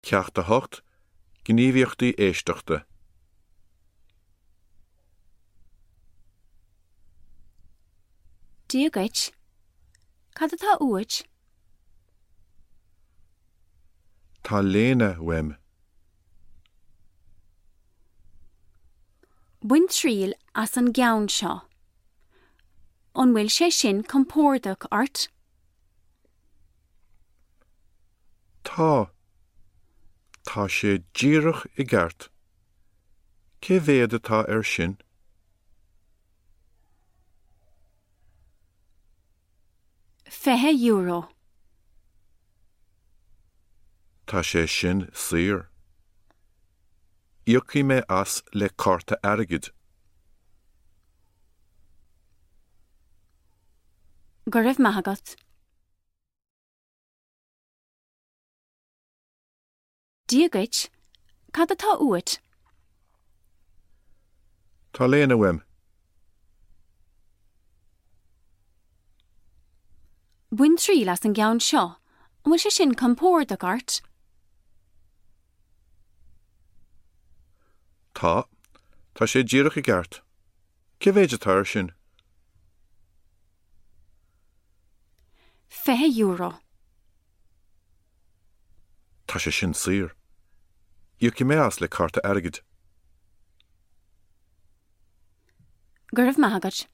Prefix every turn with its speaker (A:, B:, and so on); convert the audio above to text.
A: Ceacht 8, Gníomhaíochtaí Éisteachta.
B: Dia dhuit. Cad atá uait?
A: Tá léine uaim.
B: Bain triail as an gceann seo. An bhfuil sé sin compordach ort?
A: Tá. Tá sé díreach i gceart. Cé mhéad atá air sin?
B: €20.
A: Tá sé sin saor. Íocfaidh mé as le cárta airgid.
B: Go raibh maith agat. Dia dhuit, cad atá uait?
A: Tá léine uaim.
B: Bain triail as an gceann seo, an bhfuil sé sin compordach ort?
A: Tá. Tá sé díreach i gceart. Cé mhéad atá air sin?
B: €20.
A: Tá sé sin saor. Íocfaidh mé as le cárta airgid.
B: Go raibh maith agat.